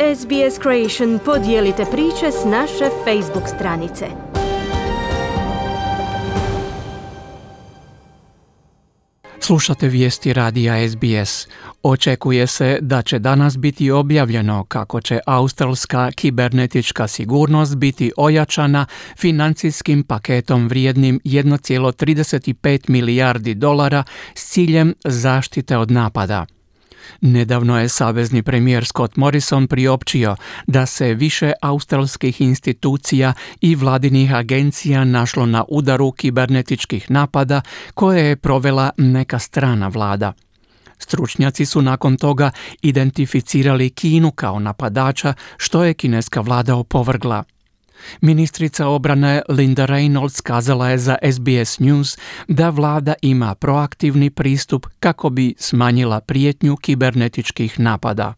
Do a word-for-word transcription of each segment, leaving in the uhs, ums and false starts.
S B S Creation podijelite priče s naše Facebook stranice. Slušate vijesti radija S B S. Očekuje se da će danas biti objavljeno kako će australska kibernetička sigurnost biti ojačana financijskim paketom vrijednim jedan zarez trideset pet milijardi dolara s ciljem zaštite od napada. Nedavno je savezni premijer Scott Morrison priopćio da se više australskih institucija i vladinih agencija našlo na udaru kibernetičkih napada koje je provela neka strana vlada. Stručnjaci su nakon toga identificirali Kinu kao napadača, što je kineska vlada opovrgla. Ministrica obrane Linda Reynolds kazala je za S B S News da vlada ima proaktivni pristup kako bi smanjila prijetnju kibernetičkih napada.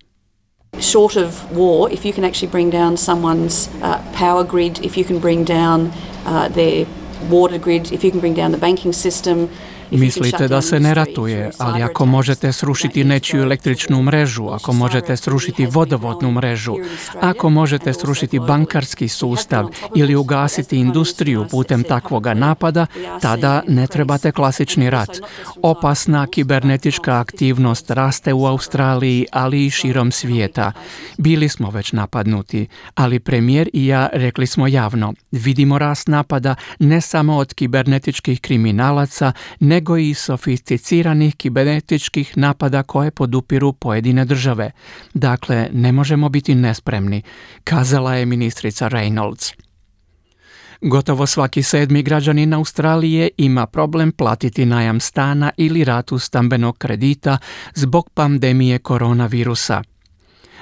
Short of war, if you can actually bring down someone's uh, power grid, if you can bring down uh, their water grid, if you can bring down the banking system. Mislite da se ne ratuje, ali ako možete srušiti nečiju električnu mrežu, ako možete srušiti vodovodnu mrežu, ako možete srušiti bankarski sustav ili ugasiti industriju putem takvoga napada, tada ne trebate klasični rat. Opasna kibernetička aktivnost raste u Australiji, ali i širom svijeta. Bili smo već napadnuti, ali premijer i ja rekli smo javno, vidimo rast napada ne samo od kibernetičkih kriminalaca, nego nego i sofisticiranih kibernetičkih napada koje podupiru pojedine države. Dakle, ne možemo biti nespremni, kazala je ministrica Reynolds. Gotovo svaki sedmi građanin Australije ima problem platiti najam stana ili ratu stambenog kredita zbog pandemije koronavirusa.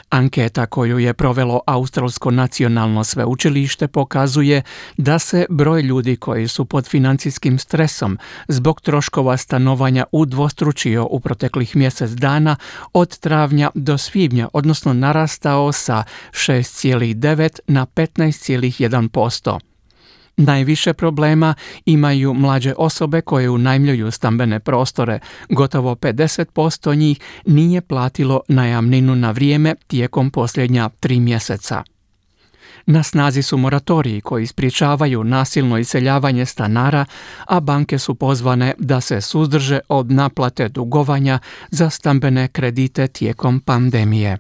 Anketa koju je provelo Australsko nacionalno sveučilište pokazuje da se broj ljudi koji su pod financijskim stresom zbog troškova stanovanja udvostručio u proteklih mjesec dana od travnja do svibnja, odnosno narastao sa šest zarez devet na petnaest zarez jedan posto. Najviše problema imaju mlađe osobe koje unajmljuju stambene prostore. Gotovo pedeset posto njih nije platilo najamninu na vrijeme tijekom posljednja tri mjeseca. Na snazi su moratoriji koji sprječavaju nasilno iseljavanje stanara, a banke su pozvane da se suzdrže od naplate dugovanja za stambene kredite tijekom pandemije.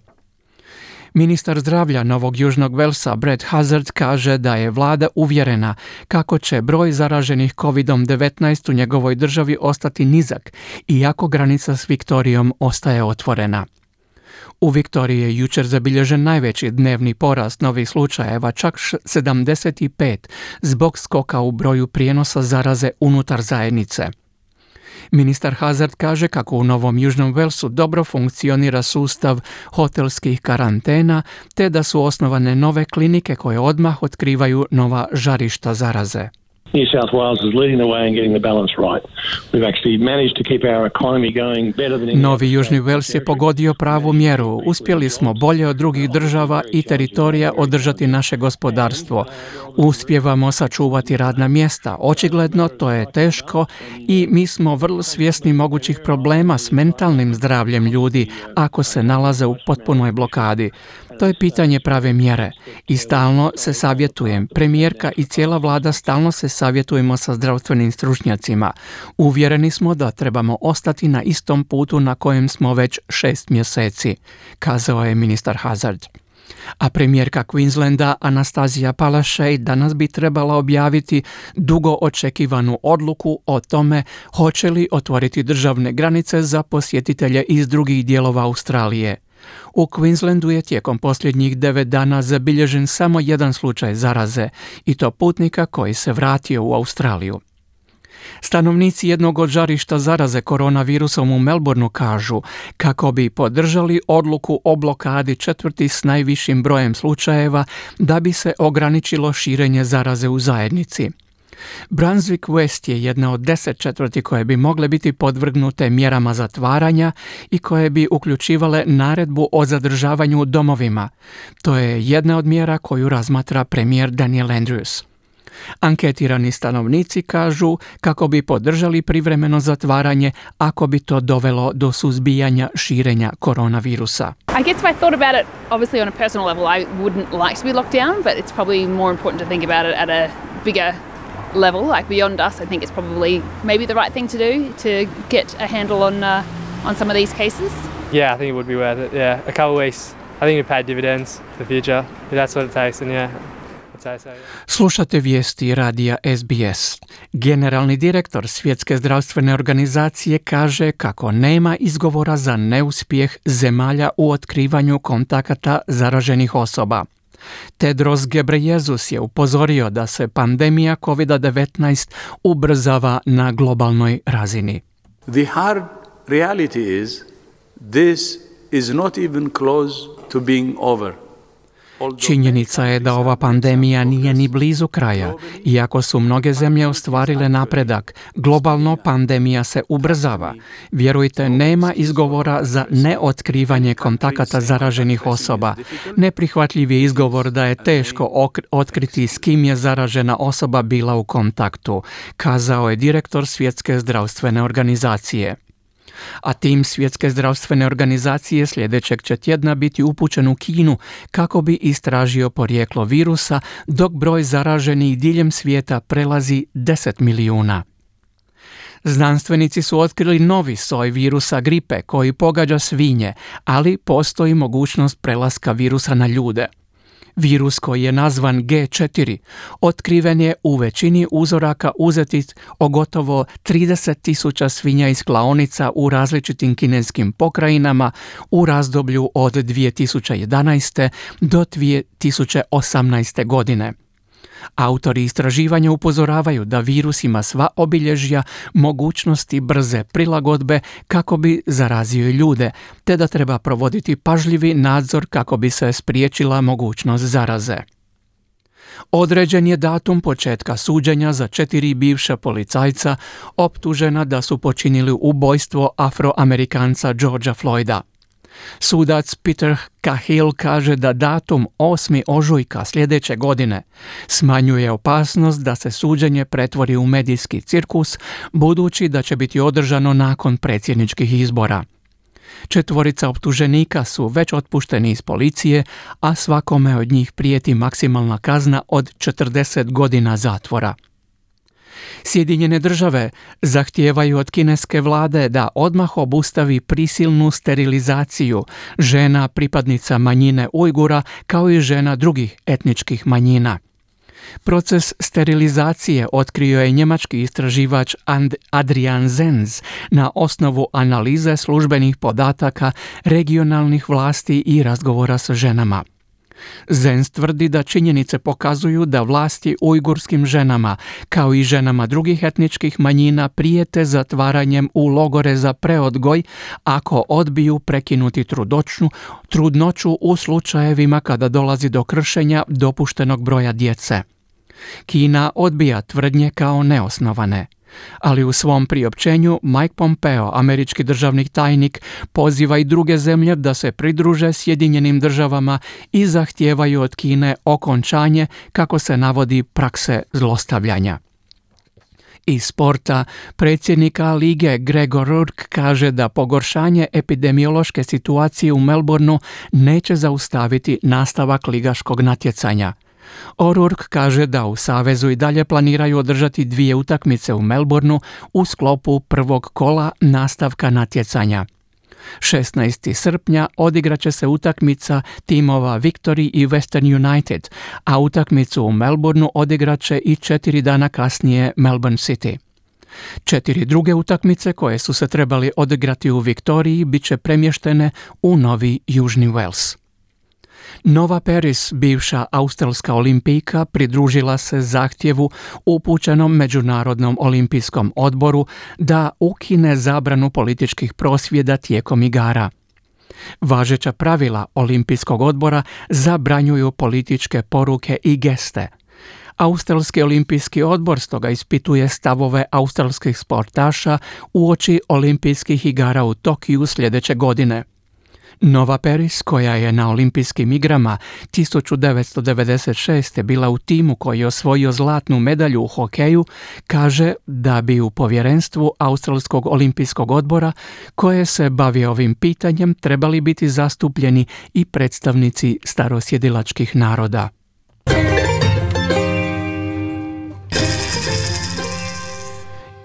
Ministar zdravlja Novog Južnog Velsa Brett Hazzard kaže da je vlada uvjerena kako će broj zaraženih kovid devetnaest u njegovoj državi ostati nizak, iako granica s Viktorijom ostaje otvorena. U Viktoriji je jučer zabilježen najveći dnevni porast novih slučajeva, čak sedamdeset pet, zbog skoka u broju prijenosa zaraze unutar zajednice. Ministar Hazzard kaže kako u Novom Južnom Velsu dobro funkcionira sustav hotelskih karantena, te da su osnovane nove klinike koje odmah otkrivaju nova žarišta zaraze. New South Wales is leading the way and getting the balance right. We've actually managed to keep our economy going better than any Novi Južni Vels je pogodio pravu mjeru. Uspjeli smo bolje od drugih država i teritorija održati naše gospodarstvo. Uspijevamo sačuvati radna mjesta. Očigledno to je teško i mi smo vrlo svjesni mogućih problema s mentalnim zdravljem ljudi ako se nalaze u potpunoj blokadi. To je pitanje prave mjere i stalno se savjetujem. Premijerka i cijela vlada stalno se savjetujemo sa zdravstvenim stručnjacima. Uvjereni smo da trebamo ostati na istom putu na kojem smo već šest mjeseci, kazao je ministar Hazzard. A premijerka Queenslanda Anastazija Palaszczuk danas bi trebala objaviti dugo očekivanu odluku o tome hoće li otvoriti državne granice za posjetitelje iz drugih dijelova Australije. U Queenslandu je tijekom posljednjih devet dana zabilježen samo jedan slučaj zaraze, i to putnika koji se vratio u Australiju. Stanovnici jednog od žarišta zaraze koronavirusom u Melbourneu kažu kako bi podržali odluku o blokadi četvrti s najvišim brojem slučajeva da bi se ograničilo širenje zaraze u zajednici. Brunswick West je jedna od deset četvrti koje bi mogle biti podvrgnute mjerama zatvaranja i koje bi uključivale naredbu o zadržavanju u domovima. To je jedna od mjera koju razmatra premijer Daniel Andrews. Anketirani stanovnici kažu kako bi podržali privremeno zatvaranje ako bi to dovelo do suzbijanja širenja koronavirusa. I guess if I thought about it, obviously on a personal level, I wouldn't like to be locked down, but it's probably more important to think about it at a bigger level, like beyond us. I think it's probably maybe the right thing to do to get a handle on uh, on some of these cases. Yeah, I think it would be worth it. Yeah, a couple of weeks. I think it would pay dividends for the future. If that's what it takes, and yeah. Slušate vijesti radija S B S. Generalni direktor Svjetske zdravstvene organizacije kaže kako nema izgovora za neuspjeh zemalja u otkrivanju kontakata zaraženih osoba. Tedros Ghebreyesus je upozorio da se pandemija kovid devetnaest ubrzava na globalnoj razini. The hard reality is this is not even close to being over. Činjenica je da ova pandemija nije ni blizu kraja. Iako su mnoge zemlje ostvarile napredak, globalno pandemija se ubrzava. Vjerujte, nema izgovora za neotkrivanje kontakata zaraženih osoba. Neprihvatljiv je izgovor da je teško otkriti s kim je zaražena osoba bila u kontaktu, kazao je direktor Svjetske zdravstvene organizacije. A tim Svjetske zdravstvene organizacije sljedećeg će tjedna biti upućen u Kinu kako bi istražio porijeklo virusa, dok broj zaraženih diljem svijeta prelazi deset milijuna. Znanstvenici su otkrili novi soj virusa gripe koji pogađa svinje, ali postoji mogućnost prelaska virusa na ljude. Virus koji je nazvan G četiri otkriven je u većini uzoraka uzetih o gotovo trideset tisuća svinja iz klaonica u različitim kineskim pokrajinama u razdoblju od dvije tisuće jedanaeste do dvije tisuće osamnaeste. godine. Autori istraživanja upozoravaju da virus ima sva obilježja mogućnosti brze prilagodbe kako bi zarazio ljude, te da treba provoditi pažljivi nadzor kako bi se spriječila mogućnost zaraze. Određen je datum početka suđenja za četiri bivša policajca optužena da su počinili ubojstvo Afroamerikanca Georgea Floyda. Sudac Peter Cahill kaže da datum osmog ožujka sljedeće godine smanjuje opasnost da se suđenje pretvori u medijski cirkus, budući da će biti održano nakon predsjedničkih izbora. Četvorica optuženika su već otpušteni iz policije, a svakome od njih prijeti maksimalna kazna od četrdeset godina zatvora. Sjedinjene države zahtijevaju od kineske vlade da odmah obustavi prisilnu sterilizaciju žena pripadnica manjine Ujgura kao i žena drugih etničkih manjina. Proces sterilizacije otkrio je njemački istraživač Adrian Zenz na osnovu analize službenih podataka regionalnih vlasti i razgovora sa ženama. Zenz tvrdi da činjenice pokazuju da vlasti ujgurskim ženama, kao i ženama drugih etničkih manjina, prijete zatvaranjem u logore za preodgoj ako odbiju prekinuti trudnoću, trudnoću u slučajevima kada dolazi do kršenja dopuštenog broja djece. Kina odbija tvrdnje kao neosnovane. Ali u svom priopćenju Mike Pompeo, američki državni tajnik, poziva i druge zemlje da se pridruže Sjedinjenim državama i zahtijevaju od Kine okončanje, kako se navodi, prakse zlostavljanja. Iz sporta, predsjednika lige Gregor Rourke kaže da pogoršanje epidemiološke situacije u Melbourneu neće zaustaviti nastavak ligaškog natjecanja. O'Rourke kaže da u savezu i dalje planiraju održati dvije utakmice u Melbourneu u sklopu prvog kola nastavka natjecanja. šesnaestog srpnja odigraće se utakmica timova Victory i Western United, a utakmicu u Melbourneu odigraće i četiri dana kasnije Melbourne City. Četiri druge utakmice koje su se trebali odigrati u Viktoriji bit će premještene u Novi Južni Wales. Nova Paris, bivša australska olimpijka, pridružila se zahtjevu upućenom Međunarodnom olimpijskom odboru da ukine zabranu političkih prosvjeda tijekom igara. Važeća pravila Olimpijskog odbora zabranjuju političke poruke i geste. Australski olimpijski odbor stoga ispituje stavove australskih sportaša uoči olimpijskih igara u Tokiju sljedeće godine. Nova Peris, koja je na olimpijskim igrama tisuću devetsto devedeset šeste bila u timu koji je osvojio zlatnu medalju u hokeju, kaže da bi u povjerenstvu Australskog olimpijskog odbora koje se bavi ovim pitanjem trebali biti zastupljeni i predstavnici starosjedilačkih naroda.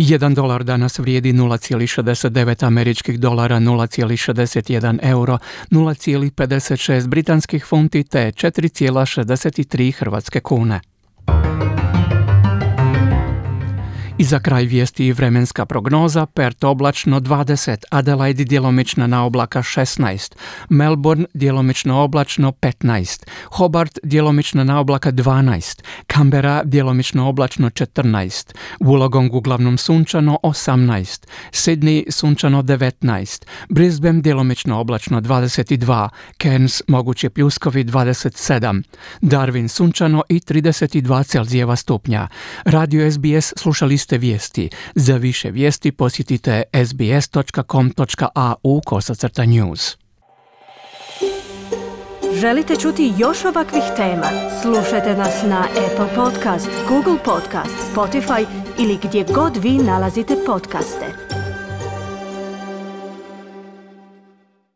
Jedan dolar danas vrijedi nula zarez šezdeset devet američkih dolara, nula zarez šezdeset jedan euro, nula zarez pedeset šest britanskih funti te četiri zarez šezdeset tri hrvatske kune. I za kraj vijesti i vremenska prognoza: Perth oblačno dvadeset, Adelaide djelomična na oblaka šesnaest, Melbourne djelomično oblačno petnaest, Hobart djelomično na oblaka dvanaest, Canberra djelomično oblačno četrnaest, Wollongong uglavnom sunčano osamnaest, Sydney sunčano devetnaest, Brisbane djelomično oblačno dvadeset dva, Cairns mogući pljuskovi dvadeset sedam, Darwin sunčano i trideset dva Celzijeva stupnja. Radio S B S slušali ste vijesti. Za više vijesti posjetite sbs.com.au kosacrta news. Želite čuti još ovakvih tema? Slušajte nas na Apple Podcast, Google Podcast, Spotify ili gdje god vi nalazite podcaste.